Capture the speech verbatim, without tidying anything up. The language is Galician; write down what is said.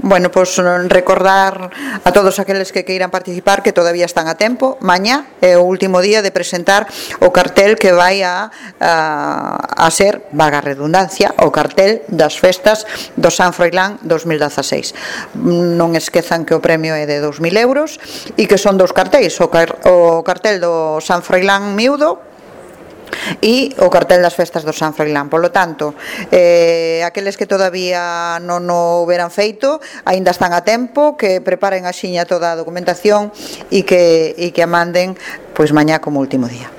Bueno, pois recordar a todos aqueles que queiran participar que todavía están a tempo. Mañá é o último día de presentar o cartel que vai a, a, a ser, vaga redundancia, o cartel das festas do San Froilán dos mil dezaseis. Non esquezan que o premio é de dous mil euros e que son dous cartéis, o, car o cartel do San Froilán miúdo e o cartel das festas do San Froilán. Por lo tanto, eh, aqueles que todavía non o houberan feito aínda están a tempo, que preparen axiña toda a documentación e que, e que a manden pois mañá como último día.